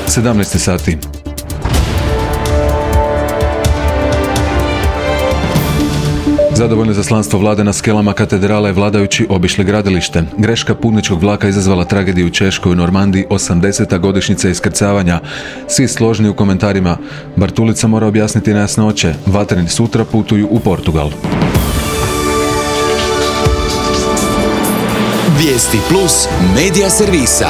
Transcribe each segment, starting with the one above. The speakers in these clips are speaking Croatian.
17 sati. Zadovoljno izaslanstvo vlade na skelama katedrale vladajući obišli gradilište. Greška putničkog vlaka izazvala tragediju u Češkoj u Normandiji, 80. godišnjica iskrcavanja. Svi složni u komentarima. Bartulica mora objasniti nejasnoće. Vatreni sutra putuju u Portugal. Vijesti plus medija servisa.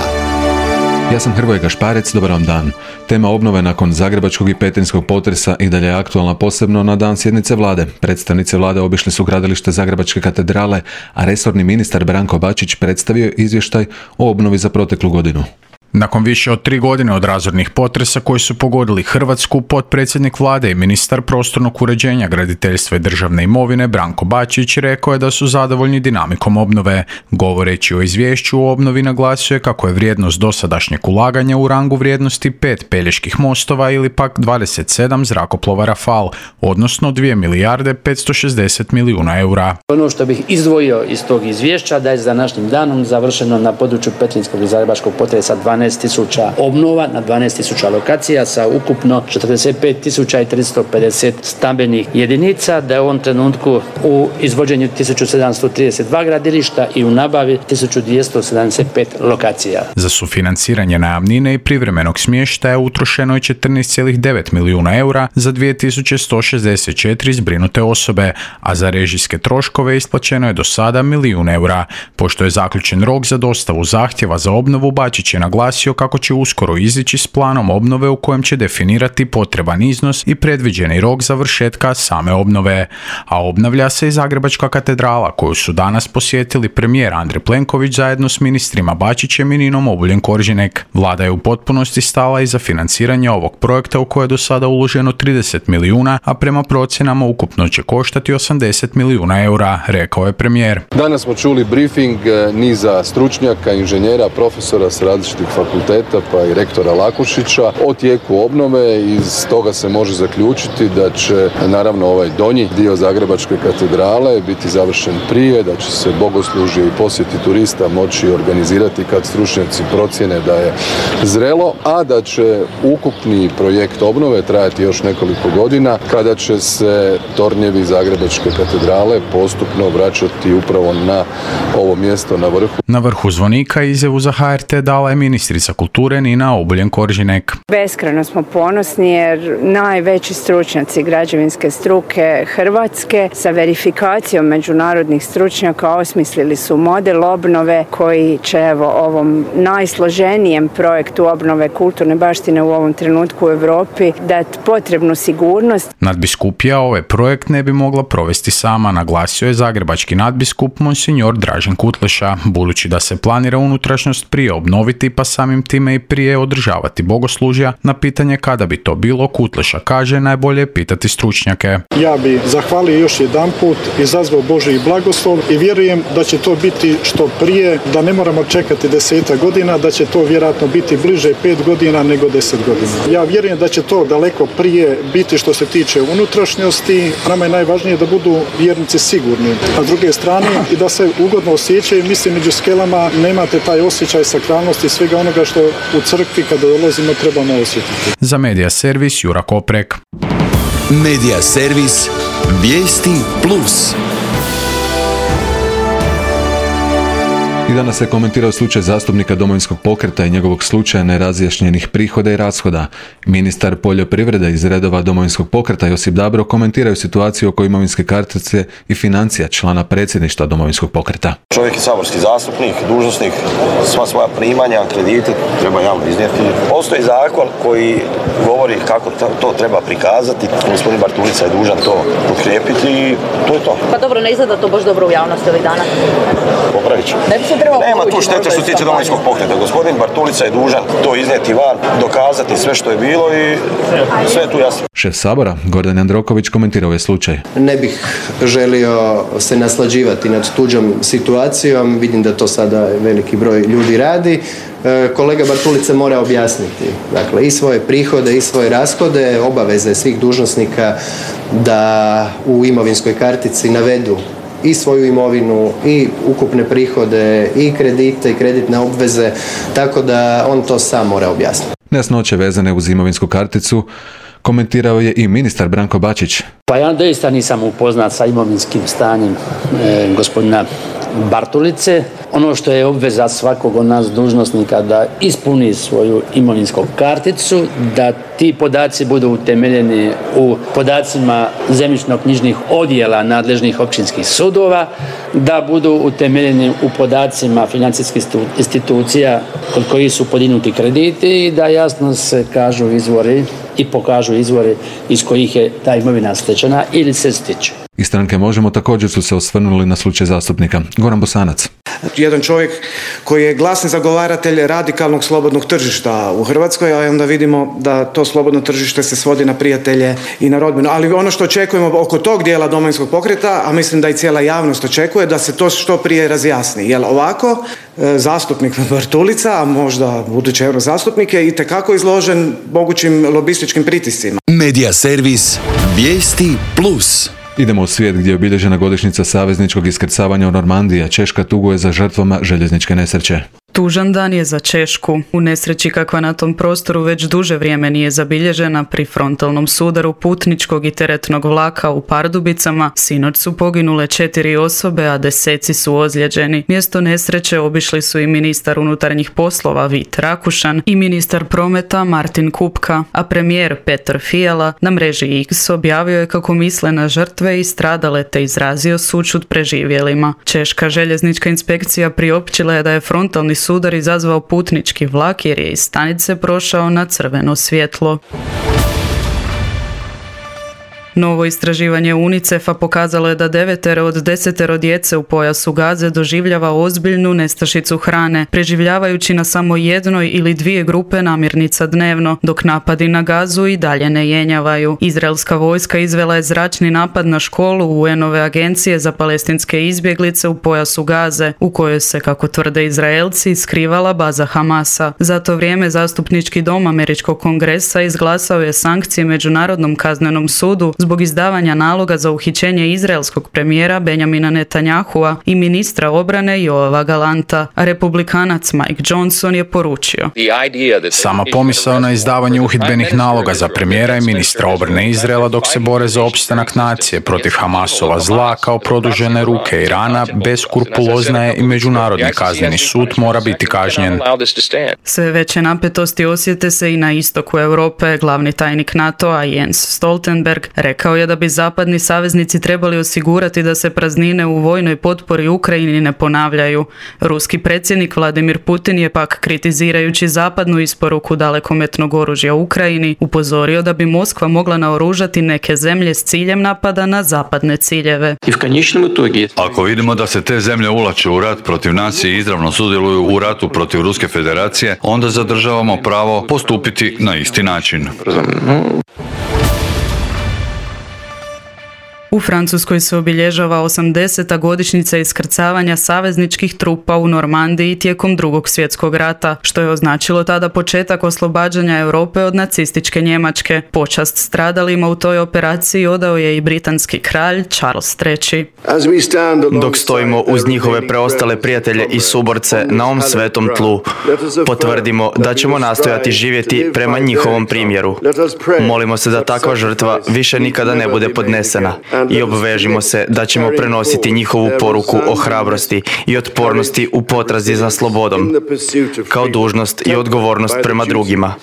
Ja sam Hrvoje Gašparec, dobar vam dan. Tema obnove nakon zagrebačkog i petrinjskog potresa i dalje je aktualna, posebno na dan sjednice vlade. Predstavnici vlade obišli su gradilište Zagrebačke katedrale, a resorni ministar Branko Bačić predstavio je izvještaj o obnovi za proteklu godinu. Nakon više od 3 godine od razornih potresa koji su pogodili Hrvatsku, potpredsjednik vlade i ministar prostornog uređenja, graditeljstva i državne imovine Branko Bačić rekao je da su zadovoljni dinamikom obnove. Govoreći o izvješću o obnovi, naglasio je kako je vrijednost dosadašnjeg ulaganja u rangu vrijednosti 5 Peljeških mostova ili pak 27 zrakoplova Rafal, odnosno 2 milijarde 560 milijuna eura. Ono što bih izdvojio iz tog izvješća da je za današnjim danom završeno na području petrinjskog i zagrebačkog potresa 12.000 obnova na 12.000 lokacija sa ukupno 45.350 stambenih jedinica, da je u ovom trenutku u izvođenju 1732 gradilišta i u nabavi 1275 lokacija. Za sufinanciranje najamnine i privremenog smještaja utrošeno je 14,9 milijuna eura za 2164 zbrinute osobe, a za režijske troškove isplaćeno je do sada 1 milijun eura. Pošto je zaključen rok za dostavu zahtjeva za obnovu, Bačić je naglasio kako će uskoro izići s planom obnove u kojem će definirati potreban iznos i predviđeni rok završetka same obnove. A obnavlja se i Zagrebačka katedrala, koju su danas posjetili premijer Andrej Plenković zajedno s ministrima Bačićem i Ninom Obuljen-Koržinek. Vlada je u potpunosti stala iza financiranja ovog projekta u koje je do sada uloženo 30 milijuna, a prema procjenama ukupno će koštati 80 milijuna eura, rekao je premijer. Danas smo čuli briefing niza stručnjaka, inženjera, profesora s različitih fakulteta pa i rektora Lakušića o tijeku obnove. Iz toga se može zaključiti da će naravno ovaj donji dio Zagrebačke katedrale biti završen prije, da će se bogoslužje i posjeti turista moći organizirati kad stručnjaci procjene da je zrelo, a da će ukupni projekt obnove trajati još nekoliko godina kada će se tornjevi Zagrebačke katedrale postupno vraćati upravo na ovo mjesto na vrhu. Na vrhu zvonika izjavu za HRT dala je ministrica kulture Nina Obuljen-Koržinek. Beskrajno smo ponosni jer najveći stručnjaci građevinske struke Hrvatske sa verifikacijom međunarodnih stručnjaka osmislili su model obnove koji će ovom najsloženijem projektu obnove kulturne baštine u ovom trenutku u Europi dati potrebnu sigurnost. Nadbiskupija ovaj projekt ne bi mogla provesti sama, naglasio je zagrebački nadbiskup monsignor Dražen Kutleša, budući da se planira unutrašnjost prije obnoviti pa samim time i prije održavati bogoslužja. Na pitanje kada bi to bilo, Kutleša kaže najbolje je pitati stručnjake. Ja bi zahvalio još jedanput, izazvao Božji blagoslov i vjerujem da će to biti što prije, da ne moramo čekati 10 godina, da će to vjerojatno biti bliže 5 godina nego 10 godina. Ja vjerujem da će to daleko prije biti što se tiče unutrašnjosti. Nama je najvažnije da budu vjernici sigurni, a s druge strane i da se ugodno osjećaju. Mislim, među skelama nemate taj osjećaj sakralnosti i svega onoga što u crkvi kada dolazimo trebamo osjetiti. Za Medija servis Jura Koprek. Medija servis Vijesti plus. I danas se komentirao slučaj zastupnika Domovinskog pokreta i njegovog slučaja nerazjašnjenih prihoda i rashoda. Ministar poljoprivrede iz redova Domovinskog pokreta Josip Dabro komentiraju situaciju oko imovinske kartice i financija člana predsjedništva Domovinskog pokreta. Čovjek je saborski zastupnik, dužnosnik, sva svoja primanja, kredite treba javno iznijeti. Postoji zakon koji govori kako to treba prikazati. Gospodin Bartulica je dužan to potkrijepiti i to je to. Pa dobro, ne izgleda to baš dobro u javnosti ovih dana. Popravit ću. Nema tu štete što se tiče Domovinskog pokreta. Gospodin Bartulica je dužan to iznijeti van, dokazati sve što je bilo i sve je tu jasno. Šef Sabora, Gordan Jandroković, komentirao je slučaj. Ne bih želio se naslađivati nad tuđom situacijom, vidim da to sada veliki broj ljudi radi. Kolega Bartulica mora objasniti, dakle, i svoje prihode i svoje rashode, obaveze svih dužnosnika da u imovinskoj kartici navedu i svoju imovinu, i ukupne prihode, i kredite, i kreditne obveze, tako da on to sam mora objasniti. Nejasnoće vezane uz imovinsku karticu komentirao je i ministar Branko Bačić. Pa ja doista nisam upoznat sa imovinskim stanjem gospodina Bartulice. Ono što je obveza svakog od nas dužnosnika da ispuni svoju imovinsku karticu, da ti podaci budu utemeljeni u podacima zemljišno-knjižnih odjela nadležnih općinskih sudova, da budu utemeljeni u podacima financijskih institucija kod kojih su podignuti krediti i da jasno se kažu izvori i pokažu izvori iz kojih je ta imovina stečena ili se stiče. Iz stranke Možemo također su se osvrnuli na slučaj zastupnika. Goran Bosanac. Jedan čovjek koji je glasni zagovaratelj radikalnog slobodnog tržišta u Hrvatskoj, a onda vidimo da to slobodno tržište se svodi na prijatelje i na rodbinu. Ali ono što očekujemo oko tog dijela Domovinskog pokreta, a mislim da i cijela javnost očekuje, da se to što prije razjasni. Jer ovako zastupnik Bartulica, a možda budući eurozastupnik, je itekako izložen mogućim lobističkim pritiscima. Medija servis Vijesti Plus. Idemo u svijet gdje je obilježena godišnjica savezničkog iskrcavanja u Normandiji, a Češka tuguje za žrtvama željezničke nesreće. Tužan dan je za Češku. U nesreći kakva na tom prostoru već duže vrijeme nije zabilježena pri frontalnom sudaru putničkog i teretnog vlaka u Pardubicama, sinoć su poginule 4 osobe, a deseci su ozlijeđeni. Mjesto nesreće obišli su i ministar unutarnjih poslova Vit Rakušan i ministar prometa Martin Kupka, a premijer Petr Fiala na mreži X objavio je kako misle na žrtve i stradale te izrazio sućut preživjelima. Češka željeznička inspekcija priopćila je da je frontalni sudar izazvao putnički vlak jer je iz stanice prošao na crveno svjetlo. Novo istraživanje UNICEF-a pokazalo je da 9 od 10 djece u pojasu Gaze doživljava ozbiljnu nestašicu hrane, preživljavajući na samo jednoj ili 2 grupe namirnica dnevno, dok napadi na Gazu i dalje ne jenjavaju. Izraelska vojska izvela je zračni napad na školu UN-ove agencije za palestinske izbjeglice u pojasu Gaze, u kojoj se, kako tvrde Izraelci, skrivala baza Hamasa. Za to vrijeme Zastupnički dom Američkog kongresa izglasao je sankcije Međunarodnom kaznenom sudu zbog izdavanja naloga za uhićenje izraelskog premijera Benjamina Netanyahua i ministra obrane Joava Galanta, a republikanac Mike Johnson je poručio: sama pomisao na izdavanje uhidbenih naloga za premijera i ministra obrane Izraela dok se bore za opstanak nacije protiv Hamasova zla kao produžene ruke Irana beskrupulozna je i Međunarodni kazneni sud mora biti kažnjen. Sve veće napetosti osjete se i na istoku Europe. Glavni tajnik NATO-a Jens Stoltenberg rekao je da bi zapadni saveznici trebali osigurati da se praznine u vojnoj potpori Ukrajini ne ponavljaju. Ruski predsjednik Vladimir Putin je pak, kritizirajući zapadnu isporuku dalekometnog oružja Ukrajini, upozorio da bi Moskva mogla naoružati neke zemlje s ciljem napada na zapadne ciljeve. Ako vidimo da se te zemlje ulaču u rat protiv nas i izravno sudjeluju u ratu protiv Ruske federacije, onda zadržavamo pravo postupiti na isti način. U Francuskoj se obilježava 80. godišnjica iskrcavanja savezničkih trupa u Normandiji tijekom Drugog svjetskog rata, što je označilo tada početak oslobađanja Europe od nacističke Njemačke. Počast stradalima u toj operaciji odao je i britanski kralj Charles III. Dok stojimo uz njihove preostale prijatelje i suborce na ovom svetom tlu, potvrdimo da ćemo nastojati živjeti prema njihovom primjeru. Molimo se da takva žrtva više nikada ne bude podnesena i obvežimo se da ćemo prenositi njihovu poruku o hrabrosti i otpornosti u potrazi za slobodom, kao dužnost i odgovornost prema drugima.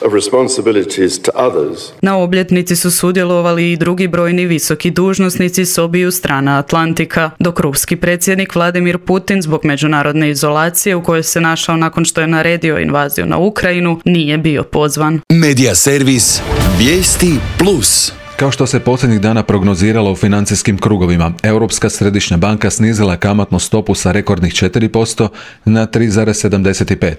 Na obljetnici su sudjelovali i drugi brojni visoki dužnosnici s obiju strana Atlantika, dok ruski predsjednik Vladimir Putin zbog međunarodne izolacije u kojoj se našao nakon što je naredio invaziju na Ukrajinu nije bio pozvan. Medija servis Vijesti Plus. Kao što se posljednjih dana prognoziralo u financijskim krugovima, Europska središnja banka snizila je kamatnu stopu sa rekordnih 4% na 3,75%.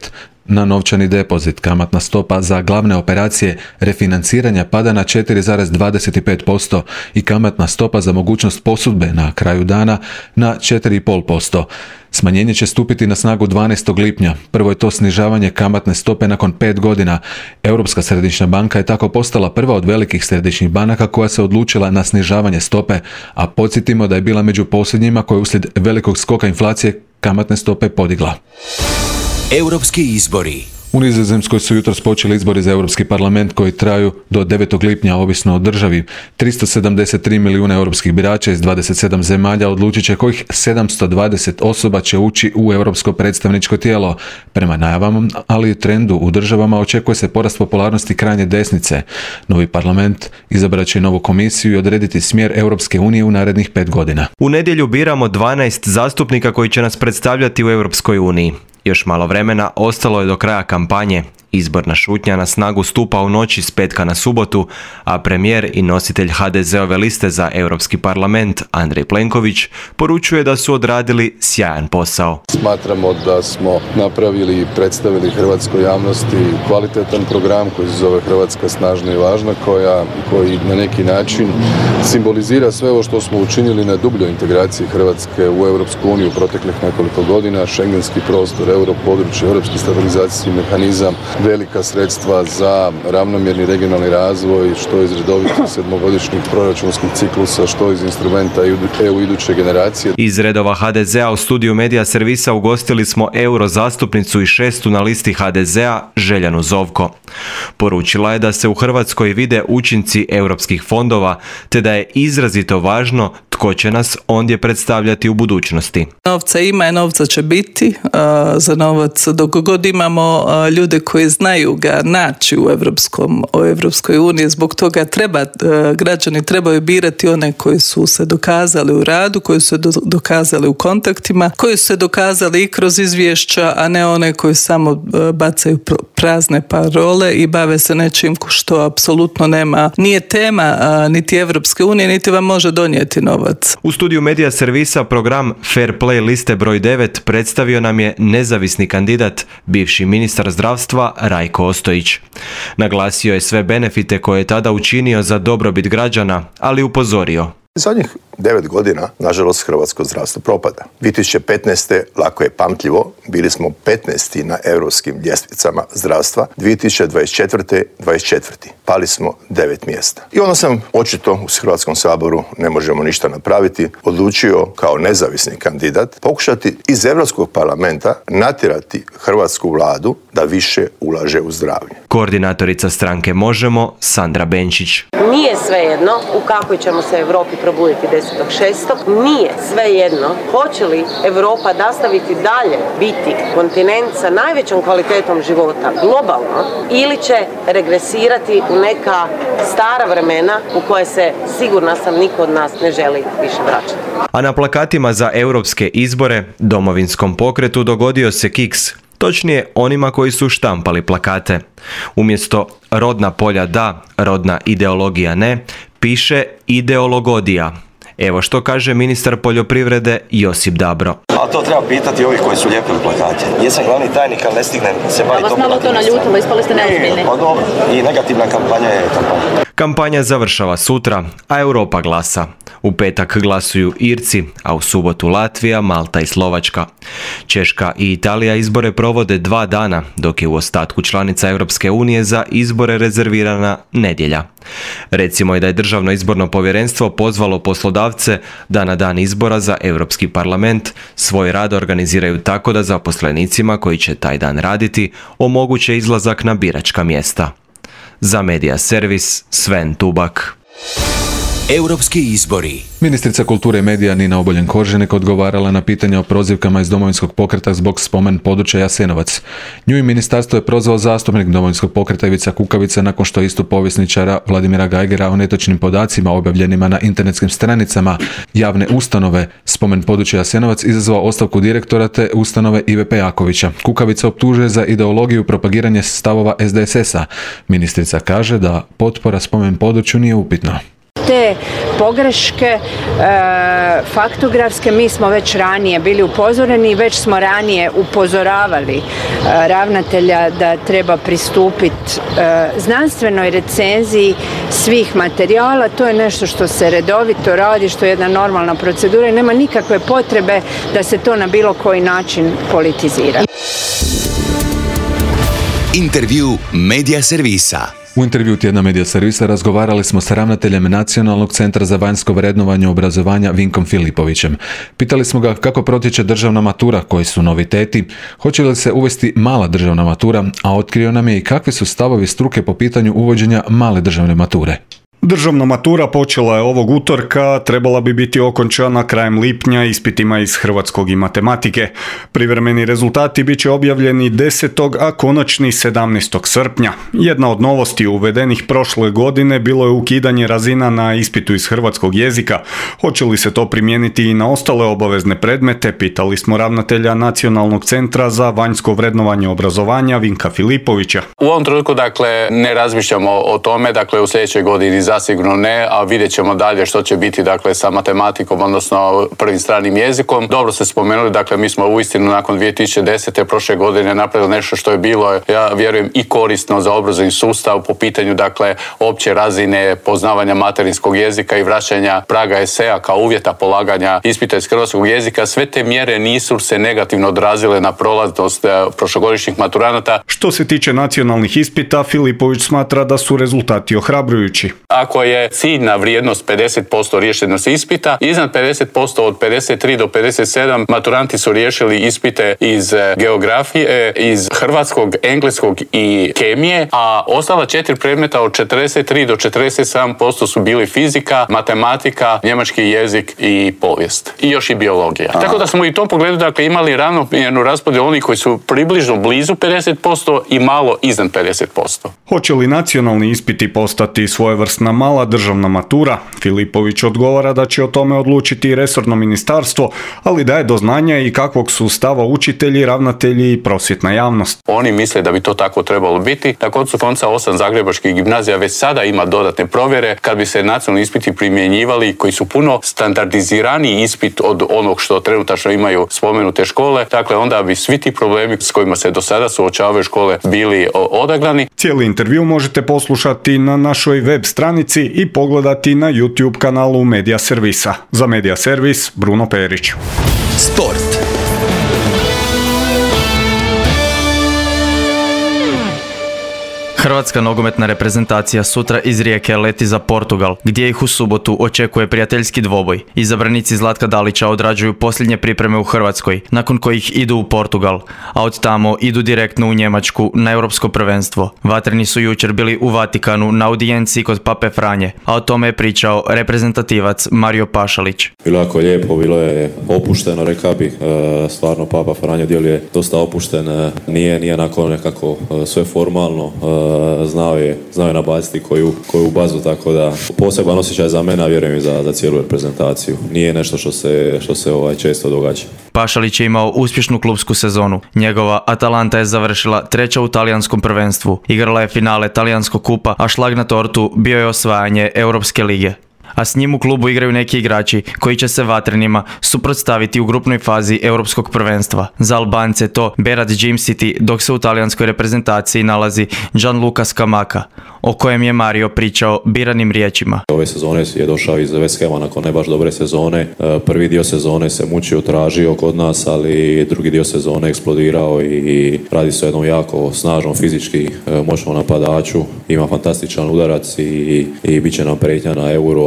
Na novčani depozit kamatna stopa za glavne operacije refinanciranja pada na 4,25% i kamatna stopa za mogućnost posudbe na kraju dana na 4,5%. Smanjenje će stupiti na snagu 12. lipnja. Prvo je to snižavanje kamatne stope nakon 5 godina. Europska središnja banka je tako postala prva od velikih središnjih banaka koja se odlučila na snižavanje stope, a podsjetimo da je bila među posljednjima koja je uslijed velikog skoka inflacije kamatne stope podigla. Europski izbori. U Nizozemskoj su jutros počeli izbori za Europski parlament koji traju do 9. lipnja ovisno o državi. 373 milijuna europskih birača iz 27 zemalja odlučit će kojih 720 osoba će ući u europsko predstavničko tijelo. Prema najavama, ali i trendu u državama očekuje se porast popularnosti krajnje desnice. Novi parlament izabrat će novu komisiju i odrediti smjer Europske unije u narednih 5 godina. U nedjelju biramo 12 zastupnika koji će nas predstavljati u Europskoj uniji. Još malo vremena ostalo je do kraja kampanje. Izborna šutnja na snagu stupa u noći s petka na subotu, a premijer i nositelj HDZ-ove liste za Europski parlament Andrej Plenković poručuje da su odradili sjajan posao. Smatramo da smo napravili i predstavili hrvatskoj javnosti kvalitetan program koji se zove Hrvatska snažna i važna, koji na neki način simbolizira sve ovo što smo učinili na dubljoj integraciji Hrvatske u Europsku uniju proteklih nekoliko godina, šengenski prostor, europodručje, europski stabilizacijski mehanizam, velika sredstva za ravnomjerni regionalni razvoj, što iz redovitih sedmogodišnjih proračunskih ciklusa, što iz instrumenta EU iduće generacije. Iz redova HDZ-a u studiju Medija servisa ugostili smo euro zastupnicu i 6. na listi HDZ-a Željanu Zovko. Poručila je da se u Hrvatskoj vide učinci europskih fondova, te da je izrazito važno tko će nas ondje predstavljati u budućnosti. Novca ima i novca će biti. Za novac dok god imamo ljude koji znaju ga naći u Europskoj uniji, zbog toga građani trebaju birati one koji su se dokazali u radu, koji su se dokazali u kontaktima, koji su se dokazali i kroz izvješća, a ne one koji samo bacaju prazne parole i bave se nečim što apsolutno nije tema niti Europske unije, niti vam može donijeti novac. U studiju Medija servisa program Fair Play liste broj 9 predstavio nam je nezavisni kandidat, bivši ministar zdravstva Rajko Ostojić. Naglasio je sve benefite koje je tada učinio za dobrobit građana, ali upozorio. Zadnjih 9 godina, nažalost, hrvatsko zdravstvo propada. 2015. lako je pamtljivo, bili smo 15. na europskim ljestvicama zdravstva, 2024. 24. pali smo 9 mjesta. I onda sam, očito u Hrvatskom saboru ne možemo ništa napraviti, odlučio kao nezavisni kandidat pokušati iz Europskog parlamenta natjerati hrvatsku vladu da više ulaže u zdravlje. Koordinatorica stranke Možemo, Sandra Benčić. Nije svejedno u kakvoj ćemo se Europi probuditi 10.6. Nije svejedno hoće li Europa nastaviti dalje biti kontinent sa najvećom kvalitetom života globalno ili će regresirati u neka stara vremena u koje se, sigurna sam, niko od nas ne želi više vraćati. A na plakatima za europske izbore Domovinskom pokretu dogodio se kiks. Točnije onima koji su štampali plakate. Umjesto rodna polja da, rodna ideologija ne, piše ideologodija. Evo što kaže ministar poljoprivrede Josip Dabro. Ali to treba pitati ovih koji su lijepili plakate. Jesam glavni tajnik, ali ne stignem se baviti. Vas malo to naljutilo, ispali ste neozbiljni. Pa dobro, i negativna kampanja je kampanja. Kampanja završava sutra, a Europa glasa. U petak glasuju Irci, a u subotu Latvija, Malta i Slovačka. Češka i Italija izbore provode 2 dana, dok je u ostatku članica Europske unije za izbore rezervirana nedjelja. Recimo i da je Državno izborno povjerenstvo pozvalo poslodavce da na dan izbora za Europski parlament svoj rad organiziraju tako da zaposlenicima koji će taj dan raditi omoguće izlazak na biračka mjesta. Za Medija servis Sven Tubak. Europski izbori. Ministrica kulture i medija Nina Obuljen-Koržinek odgovarala na pitanja o prozivkama iz Domovinskog pokreta zbog spomen područja Jasenovac. Nju i ministarstvo je prozvao zastupnik Domovinskog pokreta Ivica Kukavica nakon što istup povjesničara Vladimira Gajgera o netočnim podacima objavljenima na internetskim stranicama javne ustanove spomen područja Jasenovac izazvao ostavku direktora te ustanove Ive Pejakovića. Kukavica optužuje za ideologiju propagiranje stavova SDSS-a. Ministrica kaže da potpora spomen području nije upitna. Te pogreške faktografske mi smo već ranije bili upozoreni i već smo ranije upozoravali ravnatelja da treba pristupiti znanstvenoj recenziji svih materijala. To je nešto što se redovito radi, što je jedna normalna procedura i nema nikakve potrebe da se to na bilo koji način politizira. Intervju Medija servisa. U intervju tjedna Medija servisa razgovarali smo sa ravnateljem Nacionalnog centra za vanjsko vrednovanje obrazovanja Vinkom Filipovićem. Pitali smo ga kako protječe državna matura, koji su noviteti, hoće li se uvesti mala državna matura, a otkrio nam je i kakvi su stavovi struke po pitanju uvođenja male državne mature. Državna matura počela je ovog utorka, trebala bi biti okončana krajem lipnja ispitima iz hrvatskog i matematike. Privremeni rezultati bit će objavljeni 10. a konačni 17. srpnja. Jedna od novosti uvedenih prošle godine bilo je ukidanje razina na ispitu iz hrvatskog jezika. Hoće li se to primijeniti i na ostale obavezne predmete, pitali smo ravnatelja Nacionalnog centra za vanjsko vrednovanje obrazovanja Vinka Filipovića. U ovom trenutku, ne razmišljamo o tome, u sljedećoj godini zasigurno ne, a vidjet ćemo dalje što će biti sa matematikom, odnosno prvim stranim jezikom. Dobro ste spomenuli, mi smo uistinu nakon 2010. prošle godine napravili nešto što je bilo, ja vjerujem, i korisno za obrazovni sustav po pitanju opće razine poznavanja materinskog jezika i vraćanja praga eseja kao uvjeta polaganja ispita iz hrvatskog jezika. Sve te mjere nisu se negativno odrazile na prolaznost prošlogodišnjih maturanata. Što se tiče nacionalnih ispita, Filipović smatra da su rezultati ohrabrujući. Ako je ciljna vrijednost 50% riješenost ispita, iznad 50% od 53 do 57 maturanti su riješili ispite iz geografije, iz hrvatskog, engleskog i kemije, a ostala 4 predmeta od 43 do 47% su bili fizika, matematika, njemački jezik i povijest. I još i biologija. Tako da smo i u tom pogledu imali ravnomjernu raspodjelu onih koji su približno blizu 50% i malo iznad 50%. Hoće li nacionalni ispiti postati svojevrsna mala državna matura? Filipović odgovara da će o tome odlučiti resorno ministarstvo, ali daje do znanja i kakvog su stava učitelji, ravnatelji i prosvjetna javnost. Oni misle da bi to tako trebalo biti. Na koncu konca 8 zagrebačkih gimnazija već sada ima dodatne provjere. Kad bi se nacionalni ispiti primjenjivali, koji su puno standardiziraniji ispit od onog što trenutačno imaju spomenute škole, onda bi svi ti problemi s kojima se do sada suočavaju škole bili odagnani. Cijeli intervju možete poslušati na našoj web stranici i pogledati na YouTube kanalu Medija servisa. Za Medija servis, Bruno Perić. Sport. Hrvatska nogometna reprezentacija sutra iz Rijeke leti za Portugal, gdje ih u subotu očekuje prijateljski dvoboj. Izabranici Zlatka Dalića odrađuju posljednje pripreme u Hrvatskoj, nakon kojih idu u Portugal, a od tamo idu direktno u Njemačku na europsko prvenstvo. Vatreni su jučer bili u Vatikanu na audijenciji kod Pape Franje, a o tome je pričao reprezentativac Mario Pašalić. Bilo jako lijepo, bilo je opušteno, rekao bih, stvarno Papa Franjo djeluje dosta opušten, nije onako nekako sve formalno, znao je nabaciti koju bazu, tako da poseban osjećaj za mene, a vjerujem i za cijelu reprezentaciju. Nije nešto što se često događa. Pašalić je imao uspješnu klupsku sezonu. Njegova Atalanta je završila 3. u talijanskom prvenstvu. Igrala je finale talijanskog kupa, a šlag na tortu bio je osvajanje Europske lige. A s njim u klubu igraju neki igrači koji će se Vatrenima suprotstaviti u grupnoj fazi Europskog prvenstva. Za Albance to Berat Džimsiti, dok se u talijanskoj reprezentaciji nalazi Gianluca Scamacca, o kojem je Mario pričao biranim riječima. Ove sezone je došao iz West Hama nakon ne baš dobre sezone. Prvi dio sezone se mučio, tražio kod nas, ali drugi dio sezone eksplodirao i radi se o jednom jako snažnom, fizički moćnom napadaču. Ima fantastičan udarac i bit će nam prijetnja na Euro,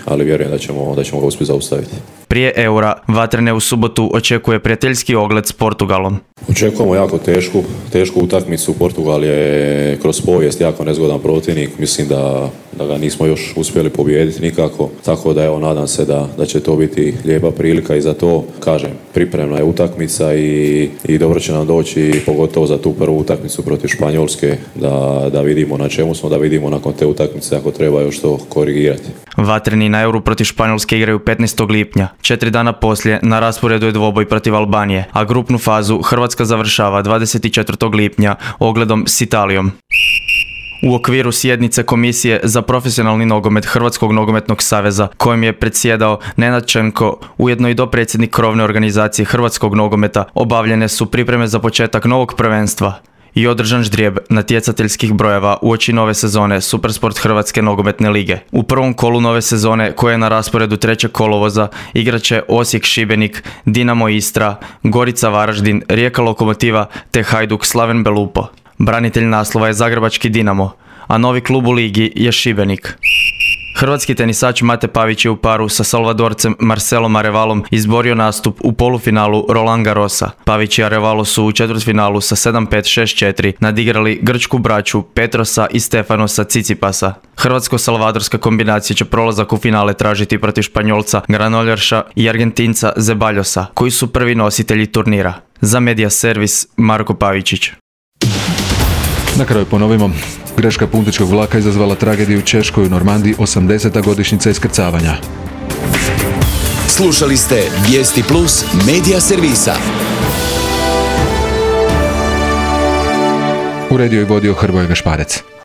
ali vjerujem da ćemo ga uspjeti zaustaviti. Prije Eura, Vatrene u subotu očekuje prijateljski ogled s Portugalom. Očekujemo jako tešku utakmicu. Portugal je kroz povijest jako nezgodan protivnik. Mislim da ga nismo još uspjeli pobijediti nikako. Tako da nadam se da će to biti lijepa prilika i za to, kažem, pripremna je utakmica i dobro će nam doći, pogotovo za tu prvu utakmicu protiv Španjolske, da vidimo na čemu smo, da vidimo nakon te utakmice ako treba još to korigirati. Vatreni na Euru protiv Španjolske igraju 15. lipnja. 4 dana poslije na rasporedu je dvoboj protiv Albanije, a grupnu fazu Hrvatska završava 24. lipnja ogledom s Italijom. U okviru sjednice Komisije za profesionalni nogomet Hrvatskog nogometnog saveza, kojim je predsjedao Nenad Čenko, ujedno i dopredsjednik krovne organizacije Hrvatskog nogometa, obavljene su pripreme za početak novog prvenstva i održan ždrijeb natjecateljskih brojeva uoči nove sezone Supersport Hrvatske nogometne lige. U prvom kolu nove sezone, koje je na rasporedu 3. kolovoza, igraće Osijek Šibenik, Dinamo Istra, Gorica Varaždin, Rijeka Lokomotiva te Hajduk Slaven Belupo. Branitelj naslova je zagrebački Dinamo, a novi klub u ligi je Šibenik. Hrvatski tenisač Mate Pavić je u paru sa Salvadorcem Marcelom Arevalom izborio nastup u polufinalu Roland Garrosa. Pavić i Arevalo su u četvrtfinalu sa 7-5, 6-4 nadigrali grčku braću Petrosa i Stefanosa Tsitsipasa. Hrvatsko-salvadorska kombinacija će prolazak u finale tražiti protiv Španjolca Granollerša i Argentinca Zeballosa, koji su prvi nositelji turnira. Za Media Servis Marko Pavičić. Na kraju ponovimo. Greška putničkog vlaka izazvala tragediju u Češkoj u Normandiji, 80. godišnjica iskrcavanja. Slušali ste Vijesti Plus Media Servisa. Uredio i vodio Hrvoje Gašparec.